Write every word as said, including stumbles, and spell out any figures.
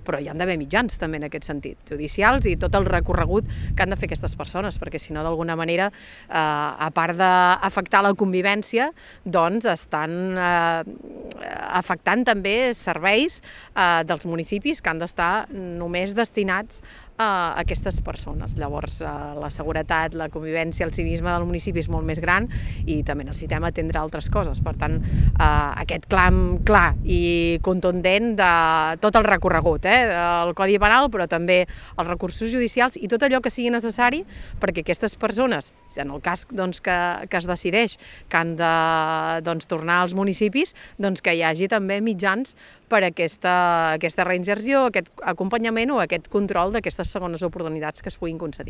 però hi han d'haver mitjans també en aquest sentit, judicials i tot el recorregut que han de fer aquestes persones, perquè si no d'alguna manera, eh, a part d'afectar la convivència, doncs estan eh, afectant també serveis eh, dels municipis que han d'estar només destinats a aquestes persones. Llavors, la seguretat, la convivència, el civisme del municipi és molt més gran i també necessitem atendre altres coses. Per tant, aquest clam clar i contundent de tot el recorregut, eh? El Codi Penal, però també els recursos judicials i tot allò que sigui necessari perquè aquestes persones, en el cas doncs, que, que es decideix que han de doncs, tornar als municipis, doncs, que hi hagi també mitjans per a aquesta, aquesta reinserció, aquest acompanyament o aquest control d'aquestes segones oportunitats que es puguin concedir.